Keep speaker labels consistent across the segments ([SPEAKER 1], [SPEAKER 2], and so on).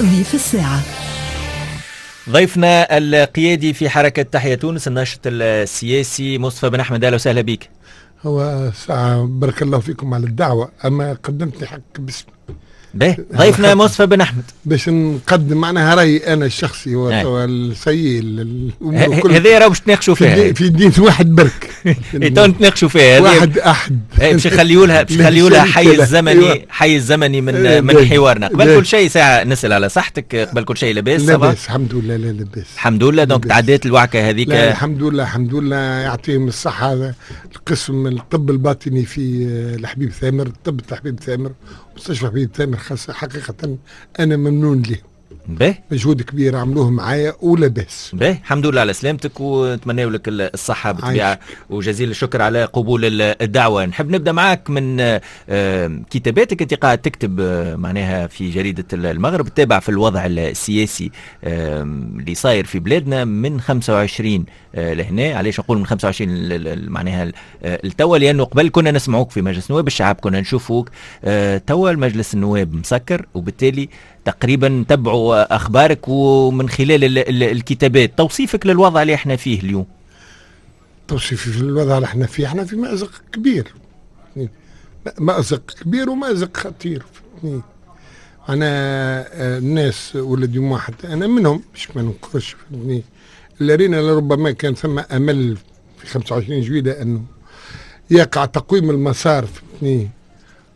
[SPEAKER 1] ضيف الساعة.
[SPEAKER 2] ضيفنا القيادي في حركة تحيا تونس الناشط السياسي مصطفى بن أحمد، أهلا وسهلا بك.
[SPEAKER 3] هو ساعة بارك الله فيكم على الدعوة، أما قدمت لي حق باسم
[SPEAKER 2] به ضيفنا مصطفى بن أحمد
[SPEAKER 3] باش نقدم معناها رأيي أنا الشخصي والسيء.
[SPEAKER 2] هذا راه باش تناقشوا فيها
[SPEAKER 3] في دين واحد برك.
[SPEAKER 2] تو نتناقشوا فيها
[SPEAKER 3] واحد أحد.
[SPEAKER 2] باش نخليوا لها باش نخليوا لها حيز زمني، حيز زمني من حوارنا. قبل كل شيء ساعة نسأل على صحتك، قبل كل شيء لاباس؟
[SPEAKER 3] لاباس الحمد لله. لا لاباس
[SPEAKER 2] الحمد لله. donc تعديت الوعكة هذيك؟
[SPEAKER 3] الحمد لله الحمد لله، يعطيهم الصحة القسم الطب الباطني في الحبيب ثامر، الطب الحبيب ثامر، مستشفى حبيب ثامر، خاصة حقيقة أنا ممنون له.
[SPEAKER 2] به
[SPEAKER 3] مجهود كبير عملوه معايا ولاباس.
[SPEAKER 2] به الحمد لله على سلامتك ونتمنى لك الصحة بالطبيعة، وجزيل الشكر على قبول الدعوة. نحب نبدأ معاك من كتاباتك، أنت قاعد تكتب معناها في جريدة المغرب، تتابع في الوضع السياسي اللي صاير في بلادنا من 25 لهنا. علاش نقول من 25 معناها التوا؟ لأنه قبل كنا نسمعوك في مجلس النواب الشعب، كنا نشوفوك. توا المجلس النواب مسكر، وبالتالي تقريبا نتبعوا اخبارك ومن خلال الكتابات. توصيفك للوضع اللي احنا فيه اليوم؟
[SPEAKER 3] توصيفي للوضع اللي احنا فيه، احنا في مأزق كبير، مأزق كبير ومأزق خطير. انا الناس ولا ديما حتى انا منهم باش ما ننكرش، اللي رينا لربما كان ثم امل في 25 جويلية انه يقع تقويم المسار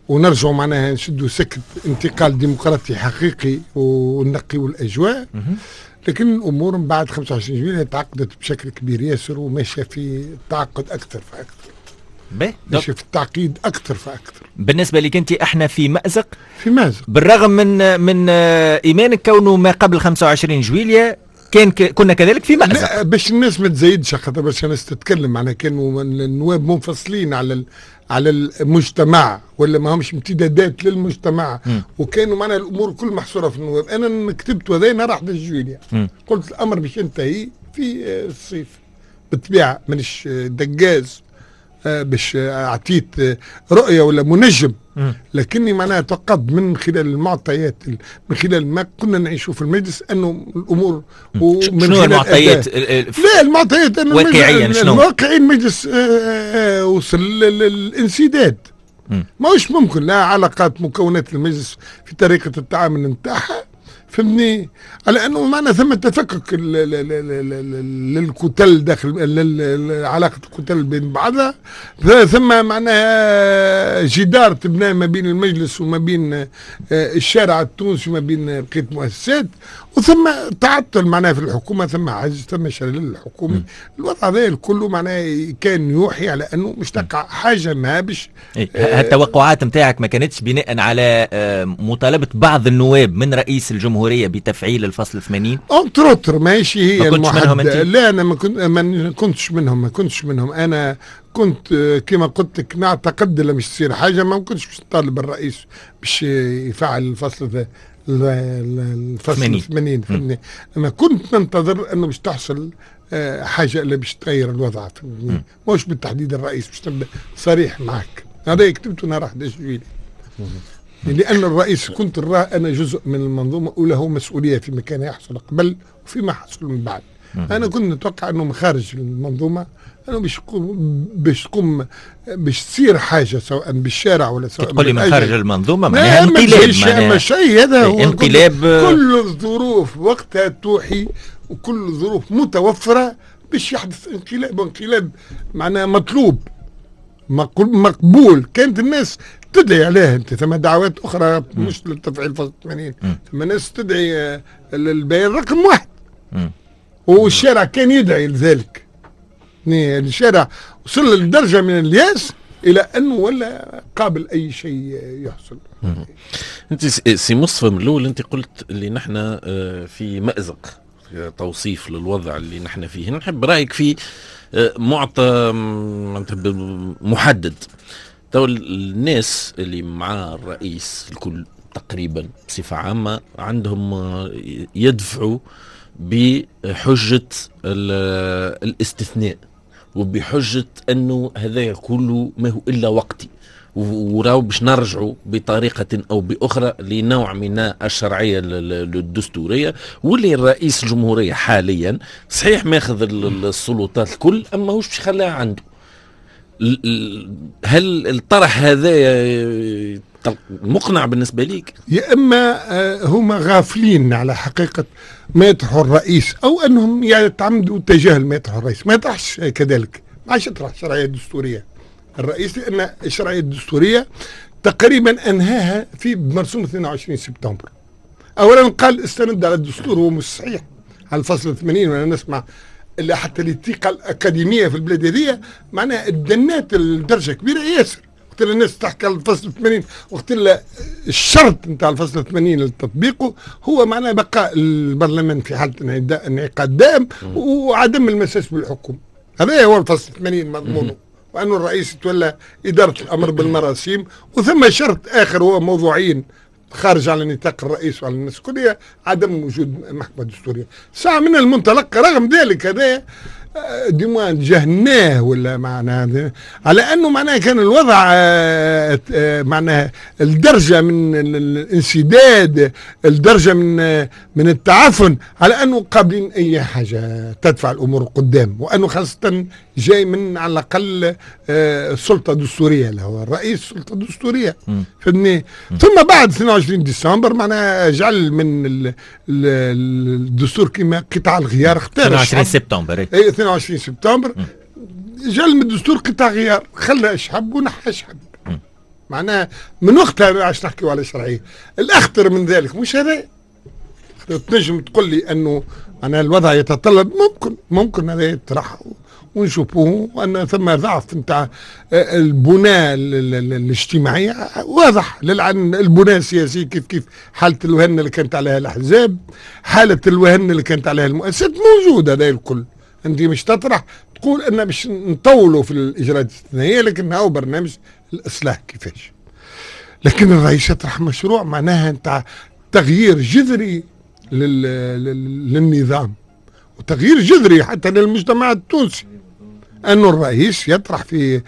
[SPEAKER 3] ونرجعوا معناها نشدوا سكة انتقال ديمقراطي حقيقي ونقيوا الأجواء. لكن الأمور من بعد 25 جويلية تعقدت بشكل كبير ياسر، وماشية في تعقد أكثر فأكثر، ماشية في التعقيد أكثر فأكثر.
[SPEAKER 2] بالنسبة لك أنت احنا في مأزق،
[SPEAKER 3] في مأزق
[SPEAKER 2] بالرغم من إيمانك كونه ما قبل 25 جويلية كان كنا كذلك في مأزق.
[SPEAKER 3] لا باش الناس ما تزايدش، خاطر باش الناس تتكلم معناها كانوا النواب منفصلين على المجتمع ولا ما همش امتدادات للمجتمع. وكانوا معنا الامور كل محصورة في النواب. انا كتبت وهذا نهار 11 جويلية، قلت الامر باش ينتهي في الصيف. بالطبيعة مانيش دقاز باش اعطيت رؤية ولا منجم، لكني معناها توقعت من خلال المعطيات، من خلال ما كنا نعيشه في المجلس، انه الامور
[SPEAKER 2] ومن شنو المعطيات؟
[SPEAKER 3] لا المعطيات
[SPEAKER 2] واقعيا شنو؟
[SPEAKER 3] واقعيا المجلس وصل للانسداد. ماهوش ممكن لا علاقات مكونات المجلس في طريقه التعامل نتاعها، فهمني؟ على انه معنا ثم تفكك للكتل داخل علاقة الكتل بين بعضها، ثم معناها جدار تبنى ما بين المجلس وما بين الشارع التونسي وما بين بقية المؤسسات، وثم تعطل معناها في الحكومة، ثم عجز، ثم شلل الحكومي. الوضع هذا الكل معناها كان يوحي على انه مش تقع حاجة ما باش.
[SPEAKER 2] التوقعات نتاعك ما كانتش بناء على مطالبه بعض النواب من رئيس الجمهورية بتفعيل الفصل 80؟
[SPEAKER 3] entre autres ماشي هي المحددة. لا انا ما كنتش منهم، ما كنتش منهم. انا كنت كما قلت لك نعتقد لما مش تصير حاجة ما كنتش باش نطالب الرئيس باش يفعل الفصل الفصل 80. فهمني؟ انا كنت ننتظر انه باش تحصل حاجة اللي باش تغير الوضع، فهمني؟ مش بالتحديد الرئيس، باش نبدا صريح معك. هذا كتبته نهار 11 جويلية، لأن الرئيس كنت نراه أنا جزء من المنظومة وله مسؤولية فيما كان يحصل قبل وفيما حصل من بعد. أنا كنت نتوقع أنه من خارج المنظومة أنه باش تقوم باش تصير حاجة سواء بالشارع ولا سواء
[SPEAKER 2] تقول لي من خارج المنظومة معناها انقلاب،
[SPEAKER 3] معناها شيء هذا هو انقلاب. كل الظروف وقتها توحي وكل الظروف متوفرة باش يحدث انقلاب، وانقلاب معناها مطلوب مقبول. كانت الناس تدعي عليها، انت ثم دعوات اخرى مش للتفعيل فصل 80، ثم ناس تدعي للبيان رقم 1، والشارع كان يدعي لذلك. الشارع وصل لدرجة من الياس الى انه ولا قابل اي شيء يحصل.
[SPEAKER 4] انت سي مصطفى من الاول انت قلت اللي نحن في مأزق، توصيف للوضع اللي نحن فيه. نحب رايك في معطى محدد. تو الناس اللي مع الرئيس الكل تقريبا بصفة عامة عندهم يدفعوا بحجة الاستثناء وبحجة أنه هذا كله ما هو إلا وقتي، وراو باش نرجعوا بطريقة او باخرى لنوع من الشرعية الدستورية، واللي الرئيس الجمهورية حاليا صحيح ماخذ السلطات الكل، اما هوش باش يخليها عنده. هل الطرح هذا مقنع بالنسبة ليك؟
[SPEAKER 3] يا اما هما غافلين على حقيقة ما يطرحه الرئيس، او انهم يتعمدوا تجاهل ما يطرحه الرئيس. ما يطرحش كذلك، ما عادش يطرح الشرعية الدستورية الرئيس، لان الشرعية الدستورية تقريبا انهاها في مرسوم 22 سبتمبر. اولا قال استند على الدستور، هو مش صحيح، على الفصل 80. وانا نسمع اللي حتى الثقة الاكاديمية في البلاد هذه معناها تدنات لدرجة كبيرة ياسر. وقت اللي الناس تحكي على الفصل 80، وقت اللي الشرط نتاع الفصل 80 لتطبيقه هو معناه بقاء البرلمان في حاله انعقاد دائم وعدم المساس بالحكومة. هذا هو الفصل 80 مضمونه، وأن الرئيس يتولى إدارة الأمر بالمراسيم. وثم شرط آخر هو موضوعين خارج على نطاق الرئيس وعلى الناس الكلية، عدم وجود محكمة دستورية. ساعة من المنطلق رغم ذلك هذا du moins جهناه، ولا معناها على انه معناها كان الوضع معناها الدرجة من الانسداد، الدرجة من التعفن، على انه قابلين اي حاجة تدفع الامور قدام، وانه خاصة جاي من على الاقل سلطة دستورية، اللي هو الرئيس سلطة دستورية، فهمتني؟ ثم بعد 22 ديسمبر معناها جعل من الدستور كما قطع الغيار، اختار
[SPEAKER 2] 22 سبتمبر.
[SPEAKER 3] 22 سبتمبر جعل من الدستور قطع غيار، خلى اشحب ونحى اشحب. معناها من وقتها عادش نحكيو على شرعية. الاخطر من ذلك مش هذا، تنجم تقول لي انه معناها الوضع يتطلب، ممكن هذا يطرح ونشوفوه، وان ثم ضعف نتاع البناء الاجتماعية واضح للعن، البناء السياسي كيف كيف، حاله الوهن اللي كانت عليها الاحزاب، حاله الوهن اللي كانت عليها المؤسسات، موجودة هذا الكل. انت مش تطرح تقول ان باش نطولوا في الاجراءات الاستثنائية، لكن هو برنامج الاصلاح كيفاش. لكن الرئيس يطرح مشروع معناها نتاع تغيير جذري للنظام، وتغيير جذري حتى للمجتمع التونسي. انه الرئيس يطرح في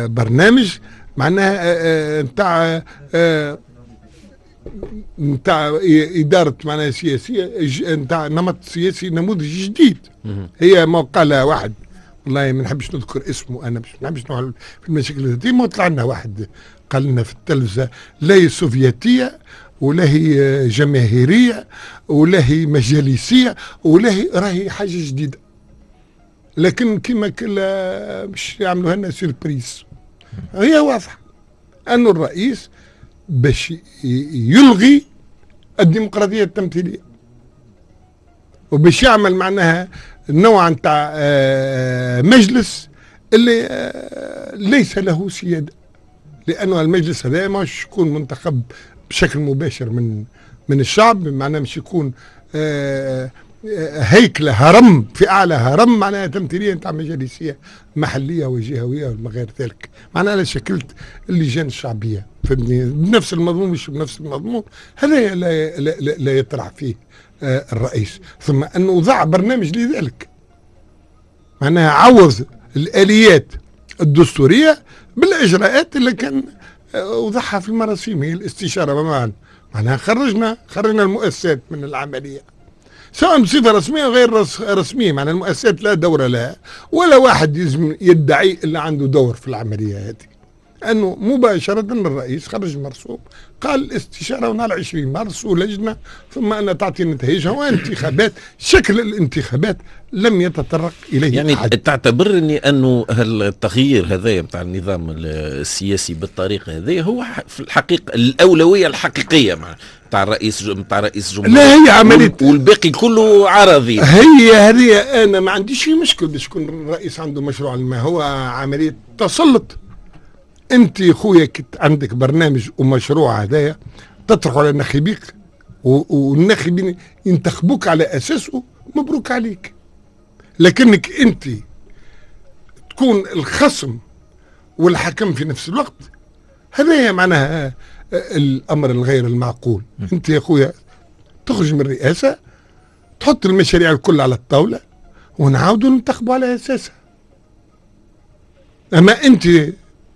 [SPEAKER 3] برنامج معناها نتاع إدارة معناها سياسية، نتاع نمط سياسي نموذج جديد. هي ما قالها واحد، والله ما نحبش نذكر اسمه أنا، باش ما نحبش نروح في المشاكل الذاتية. ما طلع لنا واحد قال لنا في التلفزة لا هي سوفيتية ولا هي جماهيرية ولا هي مجالسية ولا هي، راهي حاجة جديدة. لكن كما كلا باش يعملوها لنا surprise. هي واضحة أنه الرئيس باش يلغي الديمقراطية التمثيلية، وباش يعمل معناها نوع نتاع مجلس اللي ليس له سيادة، لأنه المجلس هذا ماهوش يكون منتخب بشكل مباشر من الشعب، معناها مش يكون هيكلة هرم في أعلى هرم معناها تمثيلية نتاع مجالسية محلية وجهوية وما غير ذلك. معناها على شكلت اللجان الشعبية، فهمتني؟ بنفس المضمون مش بنفس المضمون، هذا لا, لا, لا, لا يطرح فيه الرئيس. ثم أنه وضع برنامج لذلك، معناها عوض الآليات الدستورية بالإجراءات اللي كان وضعها في المراسيم، هي الاستشارة. معناها خرجنا المؤسسات من العملية، سواء بصفة رسمية أو غير رسمية. معناها المؤسسات لا دور لها، ولا واحد يدعي اللي عنده دور في العملية هذه. أنه مباشرة الرئيس خرج مرسوم قال الاستشارة ونهار 20 مارس ولجنة، ثم أن تعطي نتائجها وانتخابات. شكل الانتخابات لم يتطرق إليه
[SPEAKER 4] يعني
[SPEAKER 3] أحد.
[SPEAKER 4] تعتبرني أنه التغيير هذا نتاع النظام السياسي بالطريقة هذه هو في الحقيقة الأولوية الحقيقية نتاع الرئيس الجمهورية؟
[SPEAKER 3] لا، هي عملية
[SPEAKER 4] والباقي كله عرضي.
[SPEAKER 3] هي هذه أنا ما عنديش مشكل باش يكون الرئيس عنده مشروع، ما هو عملية تسلط. انت خويا عندك برنامج ومشروع هدايا تطرحه على ناخبيك والناخبين ينتخبوك على اساسه، مبروك عليك. لكنك انت تكون الخصم والحكم في نفس الوقت، هذا معناها الامر الغير المعقول. انت يا خويا تخرج من الرئاسة، تحط المشاريع الكل على الطاولة ونعاودوا ننتخبوا على اساسها. اما انت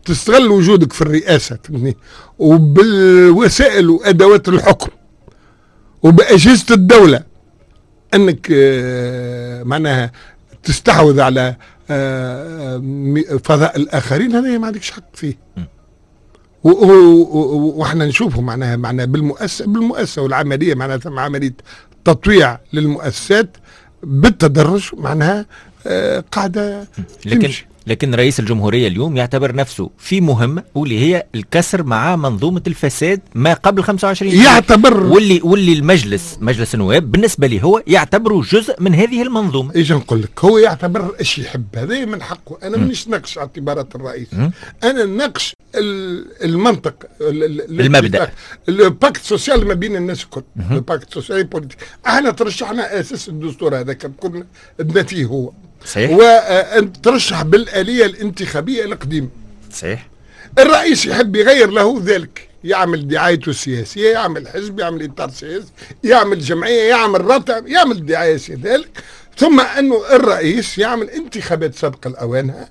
[SPEAKER 3] تستغل وجودك في الرئاسة، فهمتني، وبالوسائل وادوات الحكم وباجهزه الدولة انك معناها تستحوذ على فضاء الاخرين، هذا ما عندكش حق فيه. واحنا نشوفه معناها بالمؤسسه والعملية، معناها ثم عملية تطويع للمؤسسات بالتدرج، معناها قاعدة تمشي.
[SPEAKER 2] لكن رئيس الجمهورية اليوم يعتبر نفسه في مهمة واللي هي الكسر مع منظومة الفساد ما قبل 25
[SPEAKER 3] يعتبر،
[SPEAKER 2] واللي المجلس، مجلس النواب بالنسبة لي هو يعتبره جزء من هذه المنظومة.
[SPEAKER 3] ايش نقول لك، هو يعتبر ايش يحب، هذا من حقه. انا مانيش ناقش اعتبارات الرئيس، انا ناقش المنطق،
[SPEAKER 2] المبدأ،
[SPEAKER 3] ال pacte social ما بين الناس الكل، ال pacte social politique. احنا ترشحنا اساس الدستور هذاك كنا فيه هو
[SPEAKER 2] صحيح،
[SPEAKER 3] وأنت ترشح بالآلية الانتخابية القديمة.
[SPEAKER 2] صحيح.
[SPEAKER 3] الرئيس يحب يغير له ذلك، يعمل دعايته السياسية، يعمل حزب، يعمل إطار سياسي، يعمل جمعية، يعمل رابطة، يعمل دعاية سياسية ذلك. ثم أنه الرئيس يعمل انتخابات سابقة لأوانها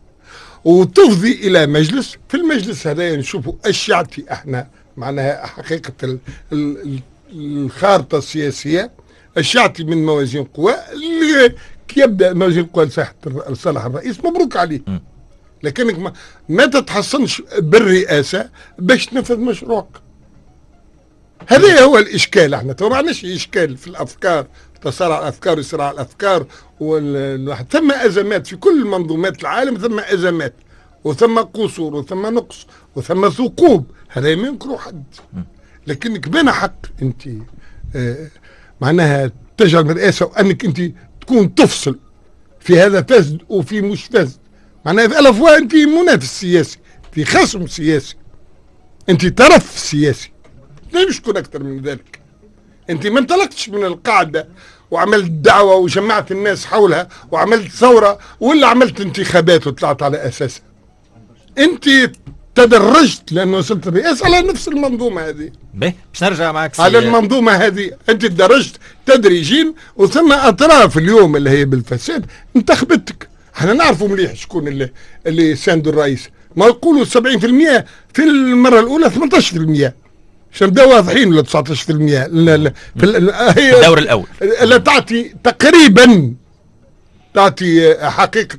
[SPEAKER 3] وتفضي إلى مجلس. في المجلس هذا نشوفوا ايش يعطي احنا معناها حقيقة الخارطة السياسية، ايش يعطي من موازين قوى. كي يبدا موازين القوى لصالح الرئيس مبروك عليه، لكنك ما تتحصنش بالرئاسه باش تنفذ مشروعك. هذا هو الاشكال. احنا تو ما عندناش اشكال في الافكار، تصارع الافكار وصراع الافكار والواحد. ثم ازمات في كل منظومات العالم، ثم ازمات وثم قصور وثم نقص وثم ثقوب، هذا ما ينكره حد. لكنك بين حق انت معناها تجعل من الرئاسة وانك انت تكون تفصل في هذا فاسد وفي مش فاسد، معناها في ألف انت منافس سياسي، في خصم سياسي، انت طرف سياسي، مش تكون اكثر من ذلك. انت ما انطلقتش من القاعدة وعملت دعوه وجمعت الناس حولها وعملت ثورة ولا عملت انتخابات وطلعت على اساسها. انت تدرجت لانه وصلت الرئاسة على نفس المنظومة هذه.
[SPEAKER 2] باهي باش نرجع معك
[SPEAKER 3] على المنظومة هذه، انت تدرجت تدريجيا، وثم اطراف اليوم اللي هي بالفساد انتخبتك. احنا نعرفوا مليح شكون اللي ساندوا الرئيس، ما يقولوا 70% في المرة الاولى، 18% عشان نبداو واضحين، ولا 19% في
[SPEAKER 2] الدور الاول،
[SPEAKER 3] لا تعطي تقريبا تعطي حقيقة.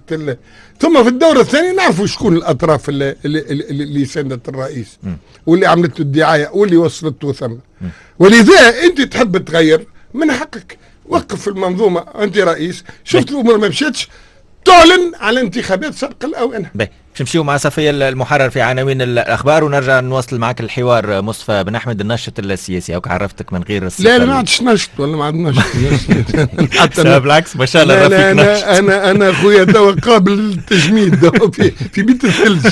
[SPEAKER 3] ثم في الدور الثاني نعرفوا شكون الاطراف اللي ساندت الرئيس واللي عملت له الدعاية واللي وصلته ثم. ولذا انت تحب تغير من حقك، وقف المنظومة، انت رئيس، شفت الامور ما مشاتش، تعلن على انتخابات سابقه الاوان.
[SPEAKER 2] باهي باش نمشيو مع صفية المحرر في عناوين الاخبار ونرجع نواصل معك الحوار. مصطفى بن احمد الناشط السياسي، او عرفتك من غير
[SPEAKER 3] الصفة. لا ما عادش ناشط ولا ما عاد ناشط
[SPEAKER 2] حتى بالعكس ما شاء الله رفيق ناشط.
[SPEAKER 3] انا خويا توا قابل للتجميد في بيت الثلج.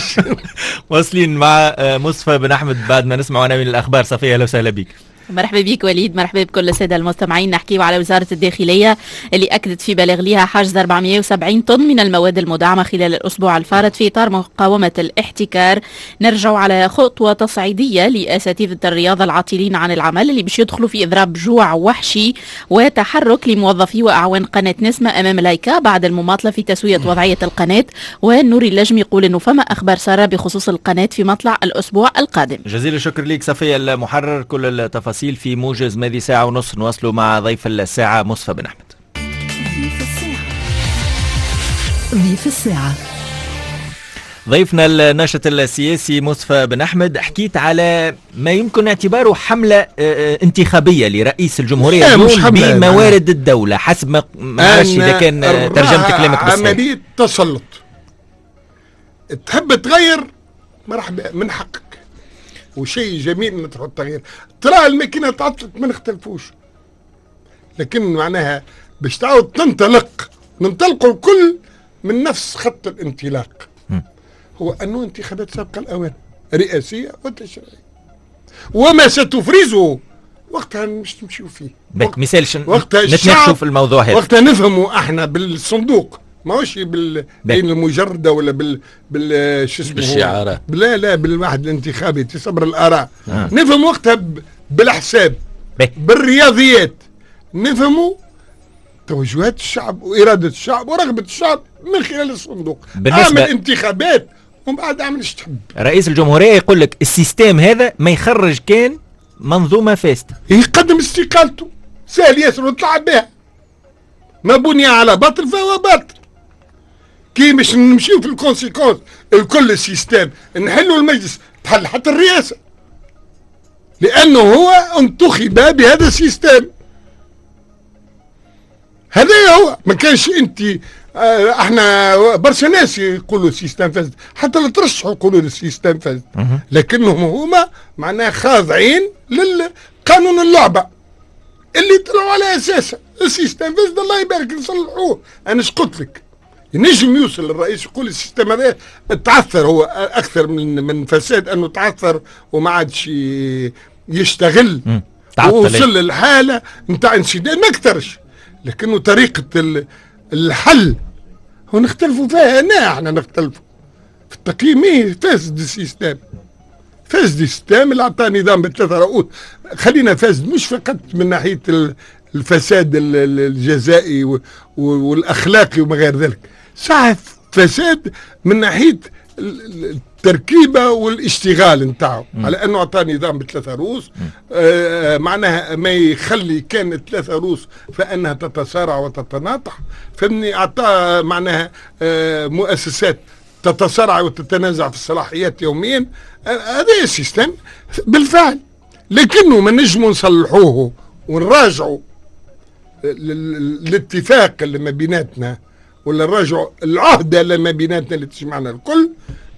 [SPEAKER 2] واصلين مع مصطفى بن احمد بعد ما نسمع عناوين الاخبار. صفية اهلا وسهلا بك.
[SPEAKER 1] مرحبا بك وليد، مرحبا بكل السادة المستمعين. نحكيو على وزارة الداخلية اللي أكدت في بلاغ لها حجز 470 طن من المواد المدعمة خلال الأسبوع الفارط في إطار مقاومة الاحتكار. نرجع على خطوة تصعيدية لأساتذة الرياضة العاطلين عن العمل اللي باش يدخلوا في إضراب جوع وحشي وتحرك لموظفي وأعوان قناة نسمة أمام لايكا بعد المماطلة في تسوية وضعية القناة. والنوري اللجم يقول أنه فما أخبار سارة بخصوص القناة في مطلع الأسبوع القادم.
[SPEAKER 2] جزيل الشكر لك صفية المحرر، كل التفاصيل في موجز ماضي ساعة ونص. نواصلوا مع ضيف الساعة مصطفى بن أحمد.
[SPEAKER 5] ضيف الساعة.
[SPEAKER 2] ضيفنا الناشط السياسي مصطفى بن أحمد، حكيت على ما يمكن اعتباره حملة انتخابية لرئيس الجمهورية اليوم بموارد الدولة، حسب ما نعرفش إذا كان ترجمت كلامك بالصحيح.
[SPEAKER 3] عملية تسلط، تحب تغير مرحبا من حقك وشيء جميل نطرح التغيير، ترى الماكينة تعطلت ما نختلفوش، لكن معناها باش تعاود تنطلق، ننطلقوا الكل من نفس خط الانطلاق، هو أنه انتخابات سابقة الأوان رئاسية وتشريعية، وما ستفرزه وقتها مش تمشيو فيه.
[SPEAKER 2] مثال نتناقشوا في الموضوع هذا
[SPEAKER 3] وقتها نفهموا احنا بالصندوق، ماهوش بالعين المجردة ولا بال شو اسمه
[SPEAKER 4] بالشعارات،
[SPEAKER 3] لا بالواحد الانتخابي تصبر الاراء. نفهم وقتها بالحساب بالرياضيات، نفهموا توجهات الشعب واراده الشعب ورغبه الشعب من خلال الصندوق. اعمل انتخابات ومن بعد اعمل ايش تحب.
[SPEAKER 2] رئيس الجمهورية يقول لك ال système هذا ما يخرج كان منظومة فاسدة،
[SPEAKER 3] يقدم استقالته سهل ياسر وطلع بها. ما بني على باطل فهو باطل. كي مش نمشيو في ال conséquences الكل ال système نحلوا المجلس تحل حتى الرئاسة، لأنه هو انتخب بهذا ال système. هذا هو، ما كانش انت احنا برشا ناس يقولوا ال système فاسد، حتى اللي ترشحوا يقولوا ال système فاسد، لكنهم هما معناها خاضعين للقانون اللعبة اللي طلعوا على اساسه. ال système فاسد الله يبارك نصلحوه. انا اش قلت لك؟ ينجم يوصل الرئيس يقول ال système هذا تعثر، هو اكثر من فساد انه تعثر وما عادش يشتغل، ووصل للحالة نتاع انسداد ما اكثرش، لكنه طريقه الحل هو نختلفوا فيها. انا احنا نختلفوا في التقييم. ايه فاسد ال système، فاسد ال système اللي عطى نظام بثلاثة رؤوس. خلينا فاسد مش فقط من ناحية الفساد الجزائي والاخلاقي وما غير ذلك، صح فساد من ناحية التركيبة والاشتغال نتاعو، على انه اعطى نظام بثلاثة رؤوس، معناها ما يخلي كان ثلاثة رؤوس فانها تتصارع وتتناطح، فهمني؟ اعطى معناها مؤسسات تتصارع وتتنازع في الصلاحيات يوميا. هذا ال système بالفعل، لكنه ما نجموا نصلحوه ونراجعوا الاتفاق اللي ما بيناتنا، ولا نراجعوا العهده اللي ما بيناتنا اللي تجمعنا الكل،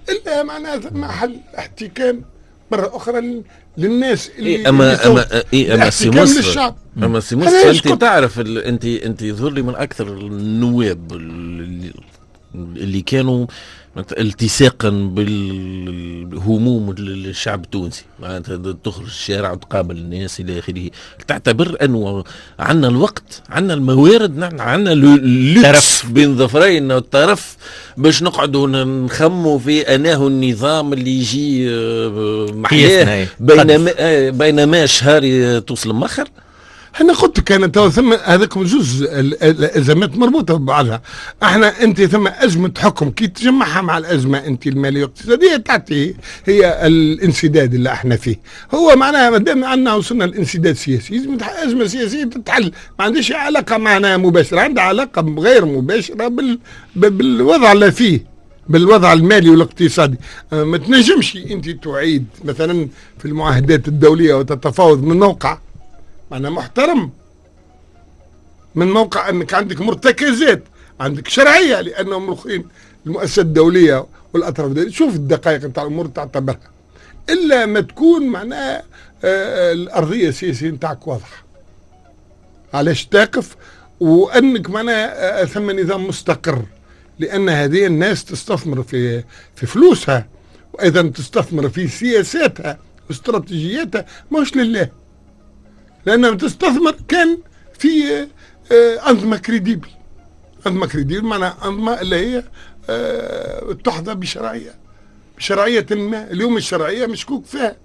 [SPEAKER 3] الا معناها ثم حل احتكام مرة اخرى للناس اللي
[SPEAKER 4] اما سي مصطفى، اما سي مصطفى انت تعرف انت يظهر لي من اكثر النواب اللي كانوا التصاقا بالهموم الشعب التونسي، معناتها تخرج الشارع وتقابل الناس الى اخره. تعتبر انه عندنا الوقت، عندنا الموارد، عندنا اللوكس بين ظفرين الطرف باش نقعدوا نخموا في اناه النظام اللي يجي محلاه بينما شهر توصل مخر.
[SPEAKER 3] انا قلت لك انا تو ثم هذاك جزء الازمات مربوطة ببعضها. احنا انت ثم ازمة حكم كي تجمعها مع الازمة انت المالية والاقتصادية تعطي هي الانسداد اللي احنا فيه. هو معناها ما دام عندنا وصلنا لانسداد سياسي، لازم ازمة سياسية تتحل، ما عندهاش علاقة معناها مباشرة، عندها علاقة غير مباشرة بالوضع اللي فيه، بالوضع المالي والاقتصادي. ما تنجمش انت تعيد مثلا في المعاهدات الدولية وتتفاوض من موقع معناها محترم، من موقع انك عندك مرتكزات، عندك شرعية، لانهم الاخرين المؤسسات الدولية والاطراف الدولية شوف الدقائق نتاع الامور تعتبرها، الا ما تكون معناها الارضية السياسية نتاعك واضحة علاش تقف، وانك معناها ثم نظام مستقر، لان هذه الناس تستثمر في فلوسها، وايضا تستثمر في سياساتها واستراتيجياتها، مش لله، لأنها تستثمر كان في أنظمة crédible. أنظمة crédible معناها أنظمة اللي هي تحظى بشرعية، بشرعية ما. اليوم الشرعية مشكوك فيها.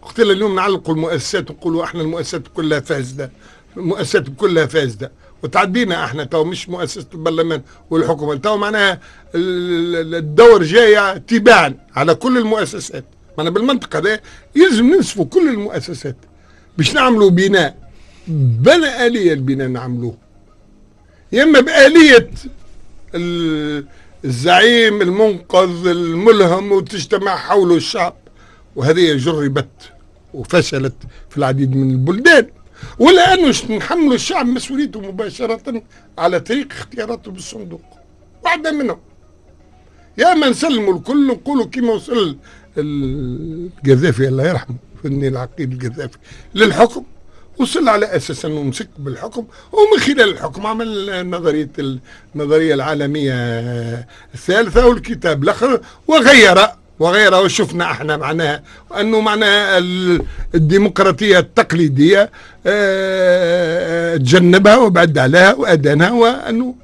[SPEAKER 3] وقت اليوم نعلقوا المؤسسات ونقولوا احنا المؤسسات كلها فاسدة، المؤسسات كلها فاسدة، وتعدينا احنا تو مش مؤسسة البرلمان والحكومة، تو معناها الدور جاي تباعا على كل المؤسسات. معناها بالمنطقة هذا يلزم ننسفوا كل المؤسسات باش نعملوا بناء، بنى آلية البناء نعملوه، يا إما بآلية الزعيم المنقذ الملهم وتجتمع حوله الشعب، وهذه جربت وفشلت في العديد من البلدان، ولا أنه نحملوا الشعب مسؤوليته مباشرة على طريق اختياراته بالصندوق، واحدة منهم. يا إما نسلموا الكل نقولوا كما وصل القذافي الله يرحمه، فني العقيد القذافي للحكم، وصل على اساس انه مسك بالحكم، ومن خلال الحكم عمل النظرية العالمية الثالثة والكتاب الاخر وغيره. وشفنا احنا معناها انه معناها الديمقراطية التقليدية تجنبها وبعد عليها وادانها، وانه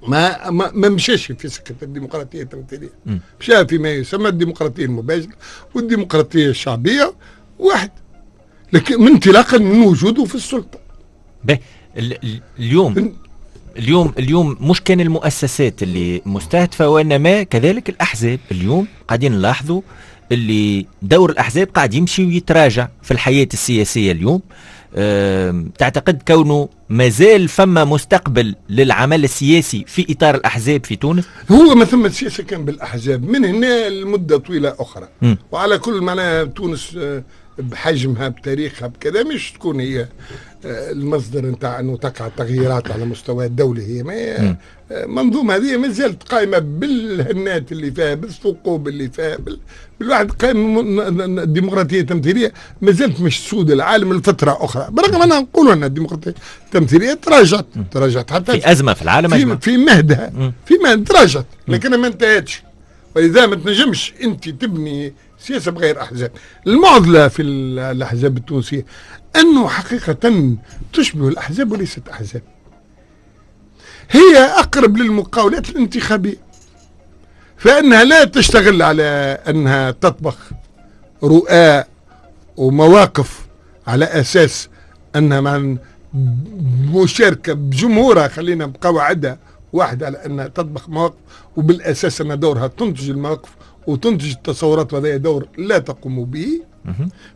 [SPEAKER 3] ما مشاش في سكة الديمقراطية التمثيلية، مشى فيما يسمى الديمقراطية المباشرة والديمقراطية الشعبية واحد، لكن من انطلاقا من وجوده في السلطة.
[SPEAKER 2] به اليوم اليوم مش كان المؤسسات اللي مستهدفة، وإنما كذلك الأحزاب. اليوم قاعدين نلاحظوا اللي دور الأحزاب قاعد يمشي ويتراجع في الحياة السياسية اليوم. تعتقد كونه مازال فما مستقبل للعمل السياسي في إطار الأحزاب في تونس؟
[SPEAKER 3] هو ما ثم سياسة كان بالأحزاب من هنا لمدة طويلة أخرى. وعلى كل معناها تونس بحجمها بتاريخها بكذا مش تكون هي المصدر نتاع انه تقع تغييرات على مستوى الدولة. هي ما منظومة هذه ما زالت قائمة بالهنات اللي فيها، بالثقوب اللي فيها، بالواحد قائم الديمقراطية التمثيلية ما زالت مش تسود العالم لفترة اخرى، برغم اننا نقولوا ان الديمقراطية التمثيلية تراجعت حتى
[SPEAKER 2] في ازمة في العالم،
[SPEAKER 3] في مهدها، في مهد تراجعت، لكنها ما انتهتش. ولذا ما تنجمش انت تبني سياسة بغير احزاب. المعضلة في الاحزاب التونسية انه حقيقة تشبه الاحزاب وليست احزاب، هي اقرب للمقاولات الانتخابية، فانها لا تشتغل على انها تطبخ رؤى ومواقف على اساس انها مع مشاركة بجمهورها، خلينا بقواعدها واحدة على انها تطبخ مواقف، وبالاساس ان دورها تنتج المواقف وتنتج التصورات، وهذا دور لا تقوم به.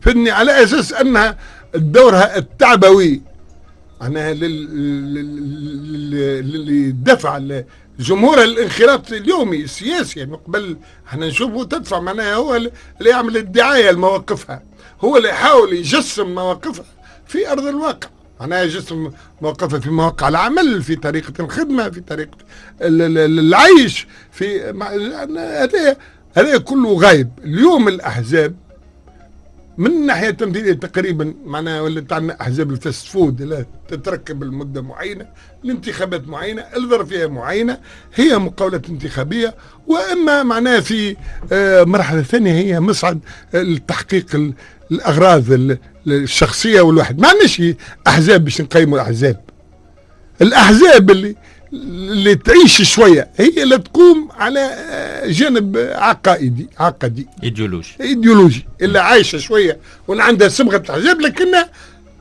[SPEAKER 3] فإني على أساس أنها دورها التعبوي معناها اللي دفع الجمهور الانخراط اليومي السياسي، يعني قبل احنا نشوفه تدفع معناها هو اللي يعمل الدعاية لمواقفها، هو اللي يحاول يجسم مواقفها في أرض الواقع، معناها يجسم مواقفها في مواقع العمل، في طريقة الخدمة، في طريقة العيش، في هذا كله غايب. اليوم الأحزاب من الناحية التمثيلية تقريبا معناها ولات عندنا أحزاب ال fast food لا تتركب لمدة معينة، لانتخابات معينة، الظرفية معينة، هي مقاولات انتخابية. وإما معناها في مرحلة ثانية هي مصعد لتحقيق الأغراض الشخصية والواحد. ما عندناش أحزاب باش نقيموا الأحزاب. الأحزاب اللي تعيش شوية هي اللي تقوم على جانب عقائدي عقدي ايديولوجي، اللي عايشه شوية واللي عندها صبغة الاحزاب، لكنها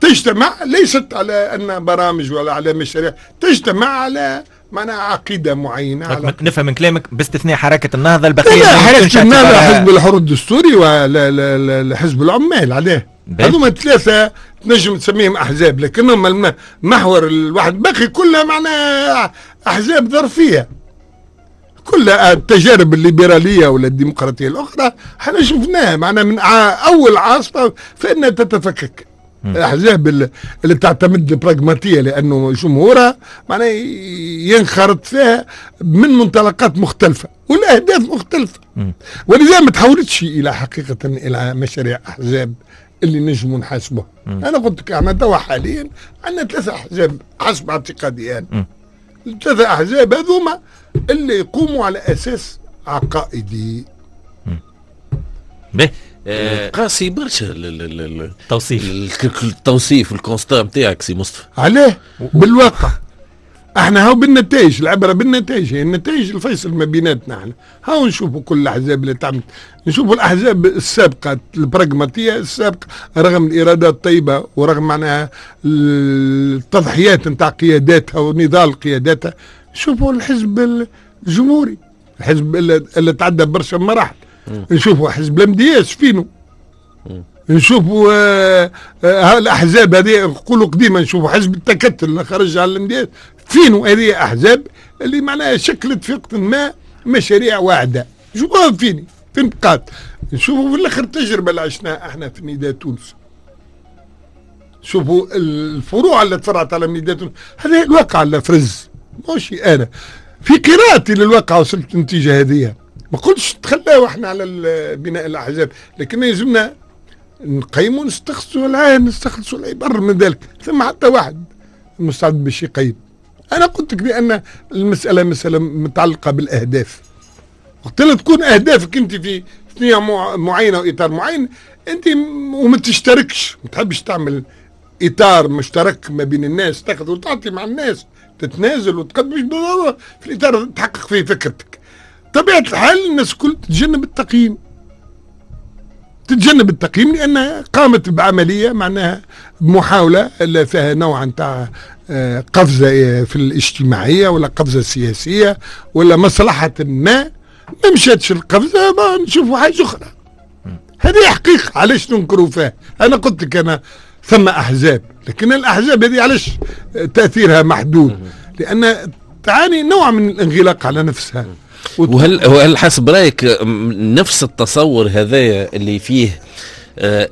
[SPEAKER 3] تجتمع ليست على ان برامج ولا على مشاريع، تجتمع على معناها عقيدة معينة. على
[SPEAKER 2] نفهم من كلامك باستثناء حركة النهضة البقية،
[SPEAKER 3] حركة النهضة حزب الحر الدستوري وحزب العمال، عليه هذوما ثلاثة تنجم تسميهم احزاب، لكنهم محور الواحد باقي كلها معناها احزاب ظرفيه. كلها التجارب الليبرالية ولا الديمقراطية الاخرى احنا شفناها معناها من اول عاصفة فانها تتفكك. الاحزاب اللي تعتمد البراغماتيه لانه جمهورها معناها ينخرط فيها من منطلقات مختلفة والاهداف مختلفة، ولذا ما تحولتش الى حقيقة الى مشاريع احزاب اللي نجموا نحاسبوها. انا قلت لك احنا توا حاليا عندنا 3 احزاب حسب اعتقادي انا. 3 احزاب هذوما اللي يقوموا على اساس عقائدي.
[SPEAKER 4] به قاسي برشا التوصيف ال constat نتاعك سي مصطفى.
[SPEAKER 3] علاه؟ بالواقع احنا هاو بالنتائج، العبرة بالنتائج، هي النتائج الفيصل ما بيناتنا احنا. هاو نشوفوا كل الاحزاب اللي تعمل، نشوفوا الاحزاب السابقة البراغماتيه السابقة رغم الارادات الطيبة ورغم معناها التضحيات نتاع قياداتها ونضال قياداتها، نشوفوا الحزب الجمهوري، الحزب اللي تعدى برشا مراحل، نشوفوا حزب الMDS فينو، نشوفوا الاحزاب هذه نقولوا قديما، نشوفوا حزب التكتل اللي خرج على الMDS فينو. هذه احزاب اللي معناها شكلت في وقت ما مشاريع واعده، شوفوها فين بقات. نشوفوا في الاخر التجربة اللي عشناها احنا في نداء تونس، شوفوا الفروع اللي تفرعت على نداء تونس. هذا الواقع اللي فرز، ماشي انا في قراءتي للواقع وصلت النتيجة هذه. ما قلتش تخلاو احنا على بناء الاحزاب، لكن يلزمنا نقيموا نستخلصوا العين، نستخلصوا العبر من ذلك. ثم حتى واحد مستعد باش يقيم. انا قلت لك بان المسالة مسالة متعلقه بالاهداف. وقت اللي تكون اهدافك انت في ثنيه معينة واطار معين، انت وما تشتركش، ما تحبش تعمل اطار مشترك ما بين الناس، تاخذ وتعطي مع الناس، تتنازل وتقدم، مش بالضرورة في الاطار تحقق فيه فكرتك. طبيعة الحال الناس الكل تتجنب التقييم. تتجنب التقييم لانها قامت بعملية معناها بمحاولة اللي فيها نوع نتاع قفزه في الاجتماعية ولا قفزه سياسية ولا مصلحة ما مشاتش القفزة، ما نشوفوا حاجة اخرى. هذه حقيقة، علاش ننكروا فيها؟ انا قلت لك انا ثم احزاب، لكن الاحزاب هذه علاش تاثيرها محدود؟ لان تعاني نوع من الانغلاق على نفسها.
[SPEAKER 4] وهل حسب رايك نفس التصور هذايا اللي فيه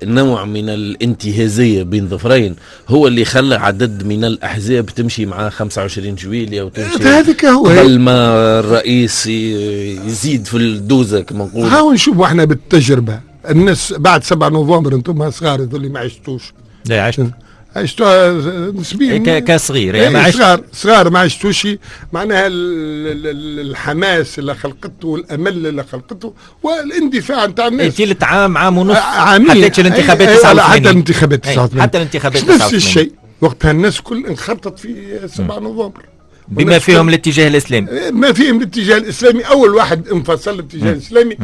[SPEAKER 4] نوع من الانتهازية بين ظفرين هو اللي خلى عدد من الأحزاب تمشي مع 25 جويلية وتمشي
[SPEAKER 3] هذاك هو
[SPEAKER 4] قبل ما الرئيس يزيد في الدوزة كما نقول؟
[SPEAKER 3] هاو نشوفوا احنا بالتجربة الناس بعد 7 نوفمبر، انتم صغار اللي ما عشتوش.
[SPEAKER 2] لا عشت
[SPEAKER 3] عشتوها نسبيا
[SPEAKER 2] كصغير يعني، ما
[SPEAKER 3] عشت صغار ما عشتوش معناها الحماس اللي خلقته والامل اللي خلقته والاندفاع نتاع الناس.
[SPEAKER 2] ثلث عام، عام ونص،
[SPEAKER 3] عامين
[SPEAKER 2] حتى الانتخابات 89،
[SPEAKER 3] حتى الانتخابات 89،
[SPEAKER 2] حتى الانتخابات 89
[SPEAKER 3] نفس الشيء وقتها الناس كل انخرطت في 7 نوفمبر
[SPEAKER 2] بما فيهم الاتجاه الاسلامي،
[SPEAKER 3] ما فيهم الاتجاه الاسلامي. اول واحد انفصل الاتجاه الاسلامي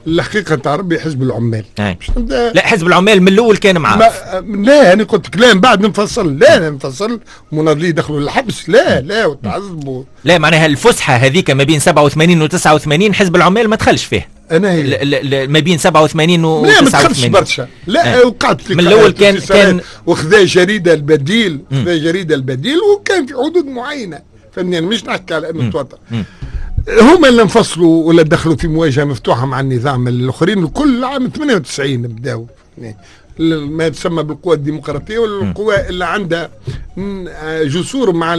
[SPEAKER 3] والحقيقة نتاع ربي حزب العمال.
[SPEAKER 2] لا حزب العمال من الاول كان معاه.
[SPEAKER 3] لا انا قلت لك لا من بعد انفصل، لا انفصل مناضلين دخلوا للحبس، لا لا وتعذبوا.
[SPEAKER 2] لا معناها الفسحة هذيك ما بين 87 و 89 حزب العمال ما دخلش فيه.
[SPEAKER 3] انا هي
[SPEAKER 2] ما بين 87 و
[SPEAKER 3] 89 لا ما دخلش برشا، لا وقعت
[SPEAKER 2] من الاول كان
[SPEAKER 3] وخذا جريدة البديل، خذا جريدة البديل وكان في حدود معينة، فهمني؟ انا مش نحكي على انه توتر. هما اللي انفصلوا ولا دخلوا في مواجهة مفتوحة مع النظام. الاخرين الكل عام 98 بداوا ما يسمى بالقوى الديمقراطية والقوى اللي عندها جسور مع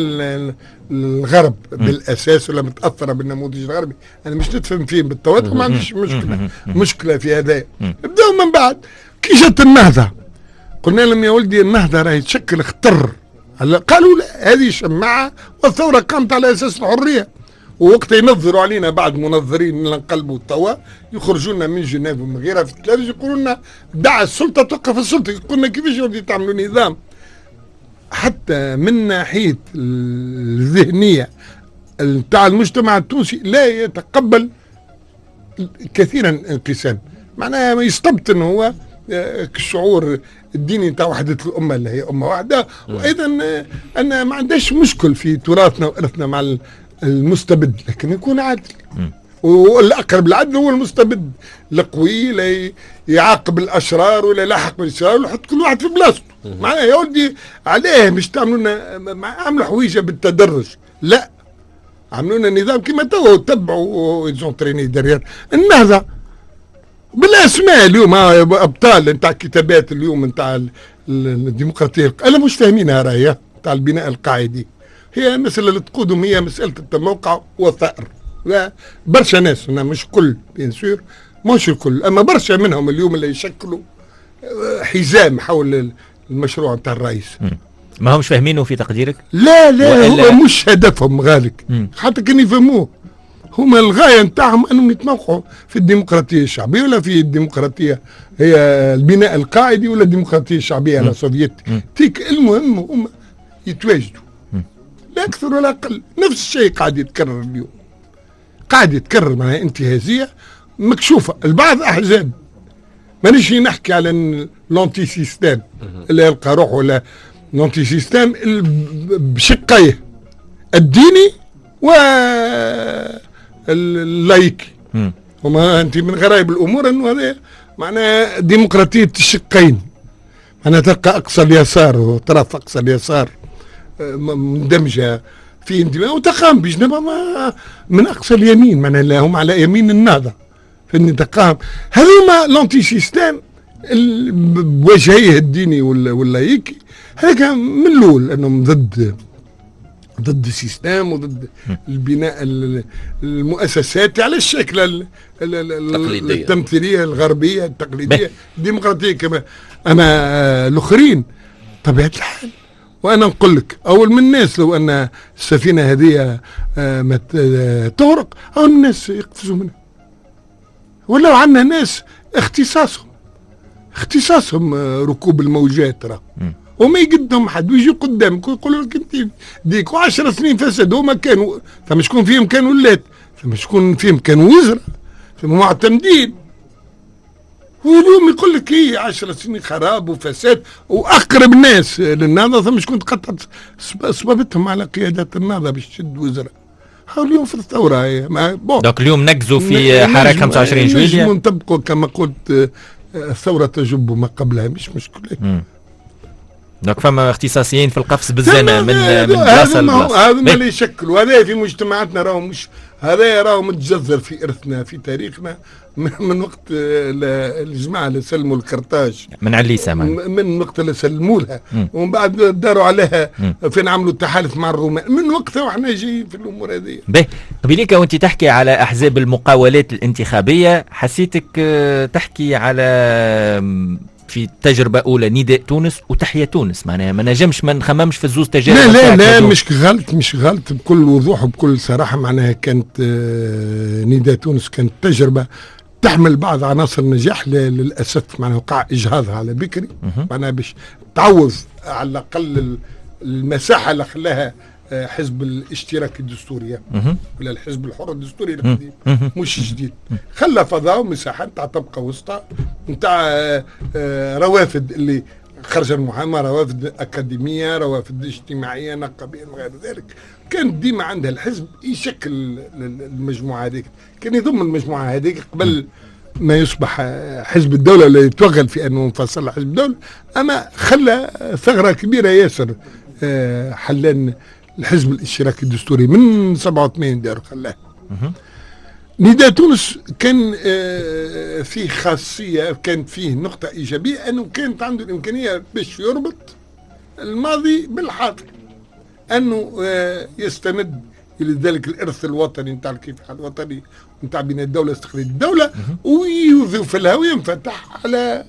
[SPEAKER 3] الغرب بالاساس ولا متاثرة بالنموذج الغربي. انا مش نتفهم فيهم بالتواتر، ما عنديش مشكلة في هذا. بداوا من بعد كي جات النهضة قلنا لهم يا ولدي النهضة راهي تشكل خطر، قالوا لا هذه شماعة والثورة قامت على اساس الحرية. ووقت ينظروا علينا بعض منظرين نقلبوا توا يخرجوا لنا من جنيف ومن غيرها في الثلاجة يقولوا لنا دع السلطة توقف السلطة. قلنا كيفاش يا ولدي تعملوا نظام؟ حتى من ناحية الذهنية نتاع المجتمع التونسي لا يتقبل كثيرا الانقسام، معناها ما يستبطن هو الشعور الديني نتاع وحده الامة اللي هي امه واحدة. وايضا ان ما عندهاش مشكل في تراثنا وارثنا مع المستبد، لكن يكون عادل. والاقرب للعدل هو المستبد القوي، لا يعاقب الاشرار ولا يلاحق بالاشرار ويحط كل واحد في بلاصته. معناها يا ولدي علاه مش تعملوا لنا عملوا حويجه بالتدرج، لا عملوا لنا نظام كيما توا وتبعوا ils ont traîné derrière النهضة بالاسماء. اليوم ابطال نتاع كتابات اليوم نتاع الديمقراطية انا مش فاهمينها، راهي نتاع البناء القاعدي هي المسألة اللي تقودهم هي مسألة التموقع والثأر. لا برشا ناس، أنا مش كل bien sûr مش الكل، أما برشا منهم اليوم اللي يشكلوا حزام حول المشروع نتاع الرئيس.
[SPEAKER 2] ما همش فاهمينه في تقديرك؟
[SPEAKER 3] لا لا هو مش هدفهم غالك، حتى كان يفهموه هما الغاية نتاعهم أنهم يتموقعوا في الديمقراطية الشعبية ولا في الديمقراطية هي البناء القاعدي ولا الديمقراطية الشعبية على soviétique. المهم هما يتواجدوا لا أكثر ولا أقل. نفس الشيء قاعد يتكرر اليوم، قاعد يتكرر معناها انتهازية مكشوفة. البعض أحزاب، مانيش نحكي على l'anti-système اللي يلقى روحه ولا l'anti-système بشقيه الديني واللايكي. وما أنت من غرائب الأمور أنه هذا معناها ديمقراطية الشقين، معناها تلقى أقصى اليسار وطرف أقصى اليسار مندمجة في انتماء وتقام بجنبها من أقصى اليمين، معناها هم على يمين النهضة فإن تقام هذوما l'anti-système بوجهيه الديني واللايكي. هذاك من الأول أنهم ضد ال système وضد البناء المؤسساتي على الشكل التمثيلية الغربية التقليدية الديمقراطية كما. أما الآخرين طبيعة الحال، وانا نقول لك اول من الناس لو ان السفينة هذه ما تغرق اول الناس يقفزوا منها. ولو عندنا ناس اختصاصهم ركوب الموجات راه، وما يقدهم حد ويجي قدامك ويقولوا لك انت ديك 10 سنين فساد. هما كانوا ثم شكون فيهم كانوا ولات، ثم شكون فيهم كانوا وزراء، ثم معتمدين. واليوم يقول لك ايه 10 سنين خراب وفساد، واقرب ناس للنهضه ثم شكون تقطعت صبابتهم على قيادات النهضة باش تشد وزراء. هاو اليوم في الثورة
[SPEAKER 2] bon. donc اليوم نقزوا في حركة 25 جويلية،
[SPEAKER 3] نطبقوا كما قلت الثورة تجب ما قبلها، مش مشكلة.
[SPEAKER 2] donc فما اختصاصيين في القفز بالزانه من بلاصة لبلاصه،
[SPEAKER 3] هذا ما اللي يشكلوا هذا في مجتمعاتنا، راهو مش هذا راهو متجذر في ارثنا في تاريخنا من وقت الجماعة اللي سلموا الكرتاج،
[SPEAKER 2] من عليسه
[SPEAKER 3] من وقت اللي سلموا لها ومن بعد داروا عليها فين عملوا التحالف مع الرومان، من وقتها وحنا جايين في الامور هذه.
[SPEAKER 2] باهي قبيليك وانت تحكي على احزاب المقاولات الانتخابية، حسيتك تحكي على في تجربة أولى نداء تونس وتحيا تونس، معناها ما نجمش ما نخممش في الزوز تجارب.
[SPEAKER 3] لا لا لا مش غلط، مش غلط، بكل وضوح وبكل صراحة معناها كانت نداء تونس كانت تجربة تحمل بعض عناصر النجاح، للأسف معناها وقع إجهاضها على بكري، معناها باش تعوض على الأقل المساحة اللي خلاها حزب الاشتراك الدستوري ولا الحزب الحر الدستوري القديم مش جديد، خلى فضاء ومساحة نتاع طبقه وسطى نتاع روافد اللي خرج المحاماة، روافد اكاديمية، روافد اجتماعية، نقابيه وغير ذلك. كان ديما عندها الحزب يشكل المجموعة هذيك، كان يضم المجموعة هذيك قبل ما يصبح حزب الدولة ولا يتوغل في انه انفصل حزب الدولة، اما خلى ثغره كبيرة ياسر حلان الحزب الاشتراكي الدستوري من 87 دار خلاه. نداء تونس كان فيه خاصية، كان فيه نقطة إيجابية أنه كانت عنده الإمكانية باش يربط الماضي بالحاضر، أنه يستند إلى ذلك الإرث الوطني نتاع الكفاح الوطني نتاع بناء الدولة استقلال الدولة، ويضيف لها وينفتح على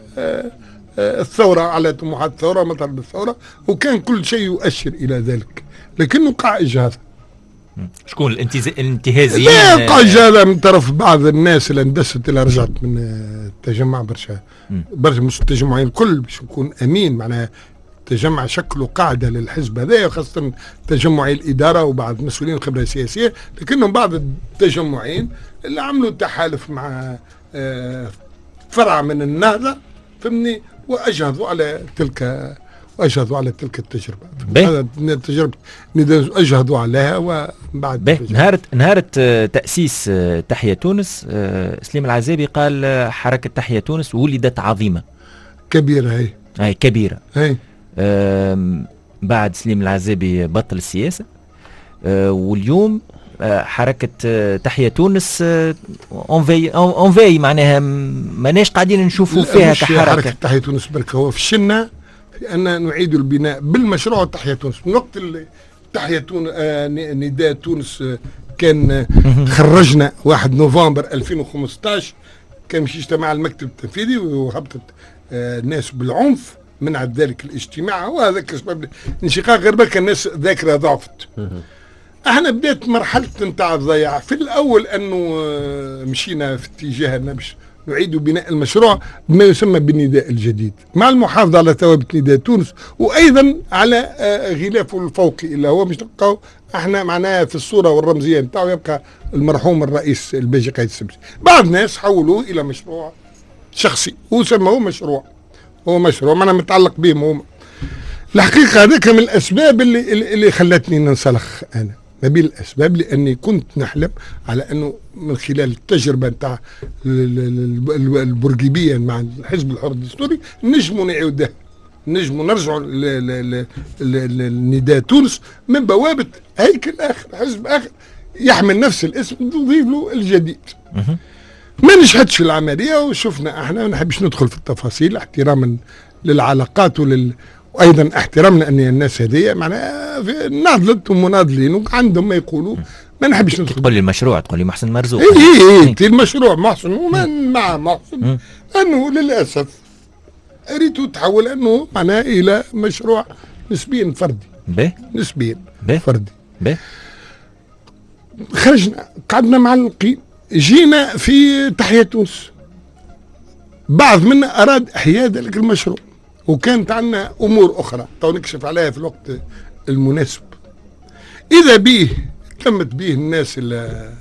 [SPEAKER 3] الثورة، على طموحات الثورة، مطالب الثورة، وكان كل شيء يؤشر إلى ذلك، لكنه وقع إجهاض.
[SPEAKER 2] شكون الانتهازيين؟
[SPEAKER 3] لا، وقع إجهاض من طرف بعض الناس اللي اندست، اللي رجعت من التجمع برشا برشا، مش التجمعين الكل باش نكون أمين، معناها التجمع شكلوا قاعدة للحزب هذا، وخاصة تجمعي الإدارة وبعض مسؤولين الخبرة السياسية، لكنهم بعض التجمعين اللي عملوا تحالف مع فرع من النهضة، فهمني، وأجهضوا على تلك، وأجهضوا على تلك التجربة. هذا التجربة أجهضوا عليها وبعد
[SPEAKER 2] نهارة تأسيس تحيا تونس، سليم العزابي قال حركة تحيا تونس ولدت عظيمة
[SPEAKER 3] كبيرة. هي
[SPEAKER 2] هي كبيرة
[SPEAKER 3] هي.
[SPEAKER 2] بعد سليم العزابي بطل السياسة، واليوم حركة تحيا تونس en veille، معناها ماناش قاعدين نشوفوا فيها كحركة.
[SPEAKER 3] حركة تحيا تونس برك هو فشلنا في أن نعيد البناء بالمشروع تحيا تونس. من وقت اللي تحيا تونس نداء تونس كان خرجنا 1 نوفمبر 2015، كان مش اجتماع المكتب التنفيذي وهبطت الناس بالعنف، منعت ذلك الاجتماع، وهذا سبب الانشقاق. غير بالك الناس ذاكرة ضعفت. احنا بدات مرحلة نتاع الضياع. في الاول انه مشينا في اتجاه ان باش نعيد بناء المشروع بما يسمى بالنداء الجديد، مع المحافظة على ثوابت نداء تونس، وايضا على غلافه الفوقي اللي هو مش نلقاو احنا معناها في الصورة والرمزيه نتاعو يبقى المرحوم الرئيس الباجي قايد السبسي. بعض الناس حولوه الى مشروع شخصي وسموه مشروع، هو مشروع معناها متعلق بهم هما. الحقيقة هذاك من الاسباب اللي خلتني ننسلخ انا، ما بين الاسباب لاني كنت نحلم على انه من خلال التجربة نتاع البورقيبيه مع الحزب الحر الدستوري نجموا نعيدها، نجموا نرجعوا لنداء تونس من بوابه هيكل اخر، حزب اخر يحمل نفس الاسم نضيف له الجديد. ما نجحتش العملية، وشفنا احنا ما نحبش ندخل في التفاصيل احتراما للعلاقات وايضا احترامنا ان الناس هذه معناها ناضلت ومناضلين وعندهم ما يقولوا، ما نحبش ندخل.
[SPEAKER 2] تقول لي المشروع، تقول لي محسن مرزوق.
[SPEAKER 3] اي اي المشروع محسن ومن مع محسن انه للاسف ريتو تحول انه معناها الى مشروع نسبيا فردي. نسبيا فردي. خرجنا قعدنا معلقين، جينا في تحيا تونس، بعض منا اراد احياء ذلك المشروع، وكانت عندنا امور اخرى تو نكشف عليها في الوقت المناسب. اذا به تمت به الناس اللي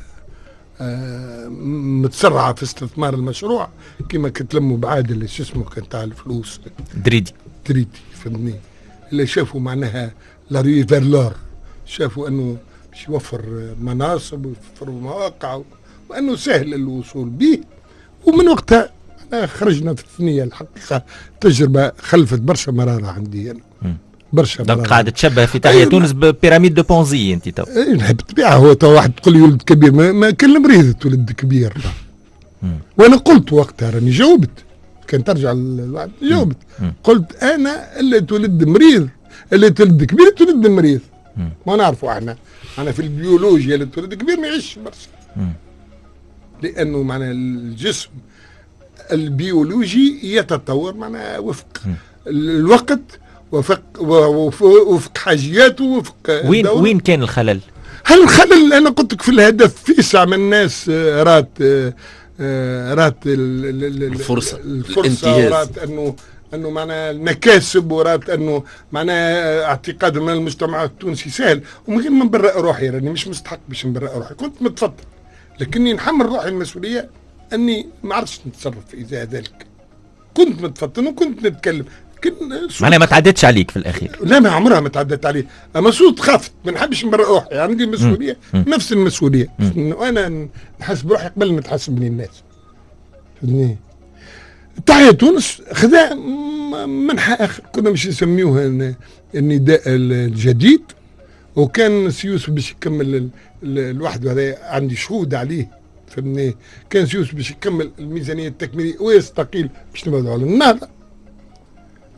[SPEAKER 3] متسرعه في استثمار المشروع كما كتلموا بعادل شو اسمه كان تاع الفلوس
[SPEAKER 2] دريدي،
[SPEAKER 3] فهمتني، اللي شافوا معناها la ruée vers l'or، شافوا انه باش يوفر مناصب ويوفر مواقع وانه سهل الوصول به. ومن وقتها خرجنا في الثنية. الحقيقة تجربه خلفت برشا مرارة عندي انا، برشا مرارة.
[SPEAKER 2] قاعد تشبه في تحيا تونس ب pyramide de Ponzi انت تو.
[SPEAKER 3] اي نحب بالطبيعة، هو تو واحد تقول لي ولد كبير، ما كان مريض تولد كبير. وانا قلت وقتها راني جاوبت، كان ترجع الواحد جاوبت، قلت انا اللي تولد مريض، اللي تولد كبير تولد مريض. ما نعرفوا احنا في البيولوجيا اللي تولد كبير ما يعيش برشا، لانه معنى الجسم البيولوجي يتطور معناها وفق الوقت، وفق حاجياته، وفق
[SPEAKER 2] وين كان الخلل؟
[SPEAKER 3] هل الخلل انا قلت لك في الهدف. في ساعة من الناس رات
[SPEAKER 4] الفرصة،
[SPEAKER 3] ورات انه معناها المكاسب، ورات انه معناها اعتقاد من المجتمع التونسي سهل. ومن غير ما نبرئ روحي، راني مش مستحق باش نبرئ روحي، كنت متفضل، لكني نحمل روحي المسؤولية اني ما عرفتش نتصرف في ازاء ذلك. كنت متفطن وكنت نتكلم،
[SPEAKER 2] معناها ما تعدتش عليك في الاخير.
[SPEAKER 3] لا، ما عمرها ما تعدت علي، اما صوت خفت، ما نحبش نبرئ روحي، عندي مسؤولية، نفس المسؤولية، وانا نحاسب روحي قبل ما تحاسبني الناس. فهمتني؟ تحيا تونس خذا منحى اخر، كنا باش نسميوه النداء الجديد، وكان سيوس باش يكمل لوحده، هذا عندي شهود عليه، فهمني. كان سيوس باش يكمل الميزانية التكميليه ويستقيل باش نبعدوا على النهضة،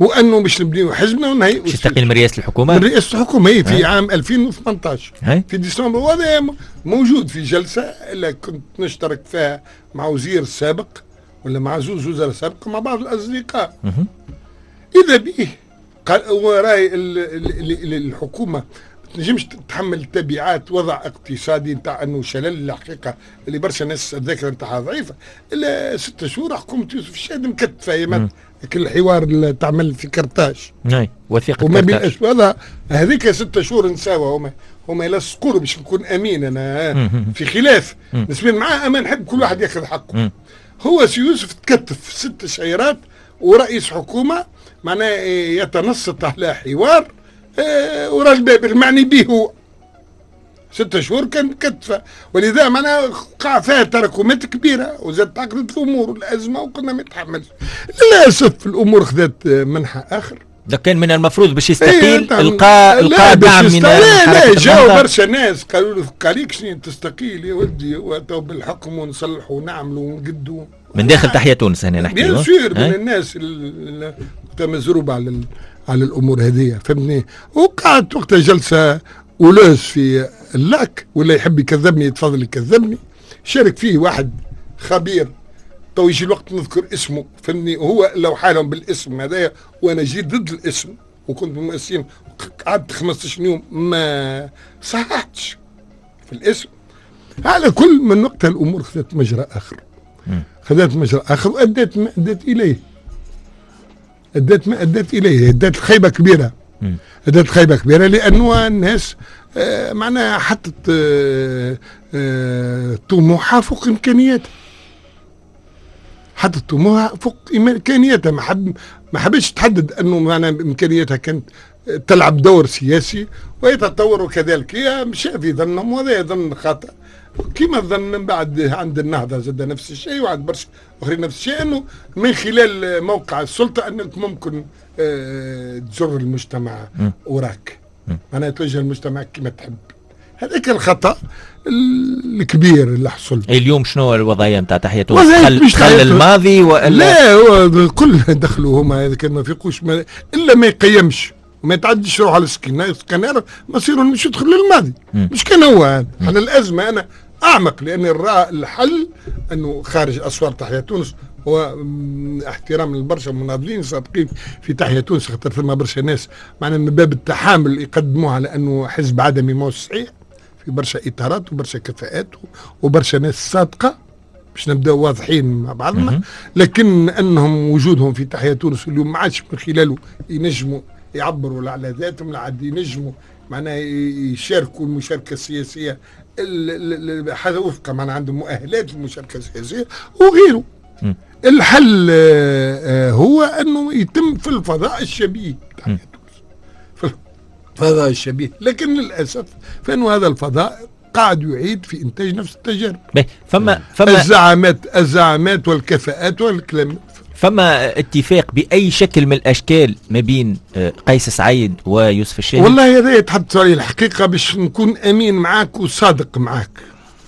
[SPEAKER 3] وانه باش نبنيو حزبنا ونهي.
[SPEAKER 2] باش يستقيل من رئاسة الحكومة؟
[SPEAKER 3] من رئاسة الحكومة هي في عام 2018 في ديسمبر، وهذا موجود في جلسه اللي كنت نشترك فيها مع وزير سابق ولا مع زوج وزراء سابق مع بعض الاصدقاء. اذا به قال وراي الحكومة تنجمش تتحمل تبعات وضع اقتصادي نتاع انه شلل الحقيقة اللي برشا ناس الذاكرة نتاعها ضعيفة. الا 6 شهور حكومة يوسف الشاهد مكتفه يا كل الحوار اللي تعمل في كرتاج،
[SPEAKER 2] اي وثيقة
[SPEAKER 3] وما بين هذا هذيك 6 شهور نساوها، هما يلصقوا باش نكون امين انا في خلاف نسبيا معاه، اما نحب كل واحد ياخذ حقه. هو سي يوسف تكتف 6 شهيرات ورئيس حكومة معناه يتنصت على حوار ورا الباب المعني به هو. 6 شهور كان كتفه، ولذا معناها وقع فيها تراكمات كبيرة وزاد تعقدت الامور والازمة وكنا ما نتحملش. للاسف الامور خذت منحى اخر.
[SPEAKER 2] ده كان من المفروض باش يستقيل، القى دعم من
[SPEAKER 3] لا جاوا برشا ناس قالوا له قاليك شنو تستقيل يا ولدي، واتوا بالحكم ونصلحوا ونعملوا ونقدوا
[SPEAKER 2] من داخل تحيا تونس. هنا نحكي
[SPEAKER 3] bien sûr من الناس اللي مزروبه على الامور هذه، فهمتني. وقعدت وقتها جلسه houleuse في اللاك، ولا يحب يكذبني يتفضل يكذبني. شارك فيه واحد خبير تو يجي الوقت نذكر اسمه، فهمني، وهو لو حالهم بالاسم هذايا، وانا جيت ضد الاسم وكنت مؤسسين، قعدت 15 يوم ما صححتش في الاسم. على كل من وقتها الامور خذت مجرى اخر، خذت مجرى اخر وادت ما ادت اليه، ادت ما ادت اليه، ادت خيبه كبيرة، ادت خيبه كبيرة، لانه الناس معناها حطت طموحها فوق امكانياتها، حطت طموحها فوق امكانياتها، ما حبتش تحدد انه معناها امكانياتها كانت تلعب دور سياسي ويتطور، وكذلك هي مشى في ظنهم، وهذا ظن خاطئ. كما ظن من بعد عند النهضة زاد نفس الشيء، وعند برشا اخرين نفس الشيء، انه من خلال موقع السلطة انك ممكن تجر المجتمع وراك، معناها توجه المجتمع كما تحب. هذاك الخطا الكبير اللي حصل.
[SPEAKER 2] اليوم شنو الوضعية نتاع تحيا تونس؟ خل الماضي والا
[SPEAKER 3] لا؟ هو كل دخلوا هما هذا كان ما فيقوش الا ما يقيمش وما يتعديش روحه على السكنار، مصيره مش يدخل للماضي. مش كان هو هذا. احنا الازمة انا اعمق، لان الحل انه خارج اسوار تحيا تونس هو احترام للبرشا مناضلين سابقين في تحيا تونس، خاطر ثم برشا ناس معنا من باب التحامل يقدموه على انه حزب عدمي ما صحيح، في برشا اطارات وبرشا كفاءات وبرشا ناس صادقة باش نبداو واضحين مع بعضنا، لكن انهم وجودهم في تحيا تونس اليوم ما عادش من خلاله ينجموا يعبروا لا على ذاتهم، لا عاد ينجموا معناها يشاركوا المشاركة السياسية هذا وفق معناها عندهم مؤهلات للمشاركة السياسية وغيره. الحل هو انه يتم في الفضاء الشبيه تاع تونس، في الفضاء الشبيه، لكن للاسف فانه هذا الفضاء قاعد يعيد في انتاج نفس التجارب.
[SPEAKER 2] فما
[SPEAKER 3] الزعامات والكفاءات والكلام.
[SPEAKER 2] فما اتفاق باي شكل من الاشكال ما بين قيس سعيد ويوسف الشاهد؟
[SPEAKER 3] والله هذا يتحدث عليه الحقيقة باش نكون امين معاك وصادق معاك.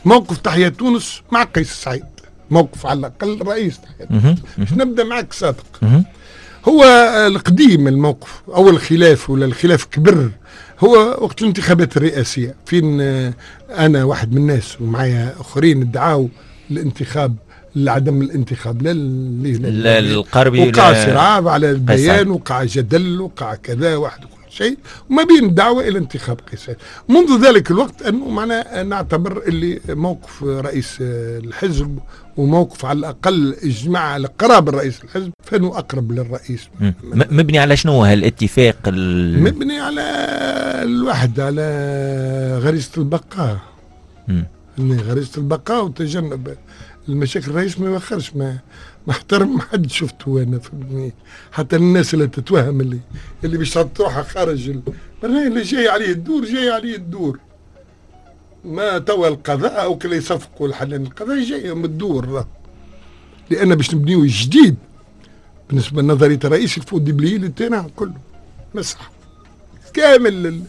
[SPEAKER 3] موقف تحيا تونس مع قيس سعيد، موقف على الاقل رئيس تحيا تونس، باش نبدا معاك صادق. هو القديم الموقف او الخلاف، ولا الخلاف كبر، هو وقت الانتخابات الرئاسية، فين انا واحد من الناس ومعايا اخرين ادعاو الانتخاب لعدم الانتخاب لا
[SPEAKER 2] القربي،
[SPEAKER 3] وقع صراع على البيان، وقع جدل، وقع كذا واحد وكل شيء، وما بين دعوة الى انتخاب قيس. منذ ذلك الوقت انه معنا نعتبر اللي موقف رئيس الحزب وموقف على الاقل اجماع القراب الرئيس الحزب فانه اقرب للرئيس.
[SPEAKER 2] مبني على شنو هالاتفاق؟
[SPEAKER 3] مبني على الوحدة، على غريزة البقاء. غريزة البقاء وتجنب المشاكل. الرئيس ما يوخرش، ما احترم حد شفته انا، فهمتني؟ حتى الناس اللي تتوهم اللي باش تروحها خارج اللي جاي عليه الدور، جاي عليه الدور. ما توا القضاء او كلا يصفقوا الحلال، القضاء جاي من الدور، لان باش نبنيو جديد بالنسبة لنظرية الرئيس il faut déblayer le terrain كله، مسح كامل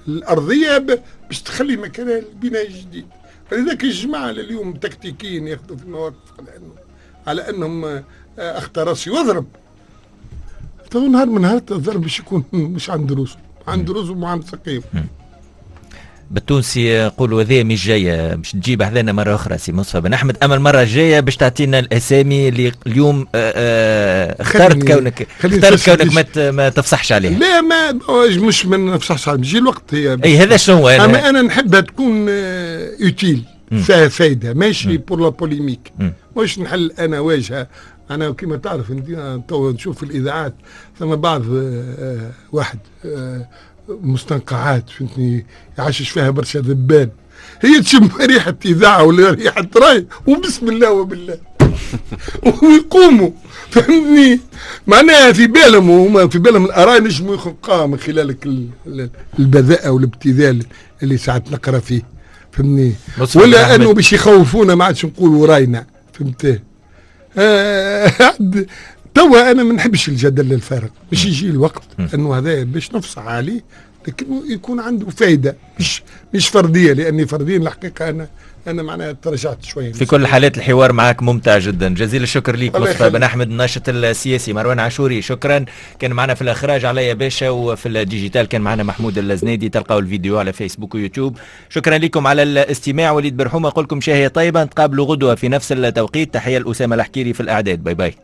[SPEAKER 3] الارضية باش تخلي مكانها البناء الجديد. فلذلك الجماعة اليوم تكتيكيين ياخذوا في المواقف على انهم اخطر راسي واضرب. تو نهار من نهار الضرب باش يكون مش عند روسه، عند روسه وعند سقيف.
[SPEAKER 2] بالتونسي نقولوا هذه مش جاية باش تجيب حذانا مرة اخرى سي مصطفى بن احمد، اما المرة الجاية باش تعطينا الاسامي اللي اليوم اخترت كونك ما تفصحش عليها.
[SPEAKER 3] لا، ما مش ما نفصحش عليها، بيجي الوقت هي.
[SPEAKER 2] اي هذا شنو
[SPEAKER 3] انا انا نحبها تكون utile، فيها فايده، ماشي pour la polémique، مش نحل انا واجهه. انا كما تعرف انت تو نشوف في الاذاعات ثم بعض واحد مستنقعات، فهمتني، يعشش فيها برشا ذبان، هي تشم ريحة إذاعة ولا ريحة راي وبسم الله وبالله ويقوموا، فهمتني، معناها في بالهم، وهما في بالهم الآراء نجموا يخلقوها من خلال البذاءة والابتذال اللي ساعات نقرا فيه، فهمتني، ولا أنه باش يخوفونا ما عادش نقولوا راينا، فهمت؟ توا انا ما نحبش الجدل الفارغ، باش يجي الوقت انه هذا باش نفصح عليه، لكن يكون عنده فايده، مش فردية، لاني فرديا الحقيقة انا معناها تراجعت شوية.
[SPEAKER 2] في كل الحالات الحوار معك ممتع جدا، جزيل الشكر ليك مصطفى بن احمد الناشط السياسي. مروان عاشوري شكرا، كان معنا في الاخراج عليا باشا، وفي ال digital كان معنا محمود الزنادي. تلقاو الفيديو على فيسبوك ويوتيوب. شكرا لكم على الاستماع. وليد برحومه اقول لكم شهية طيبة، نتقابلوا غدوه في نفس التوقيت. تحية لاسامة الحكيري في الاعداد. bye bye.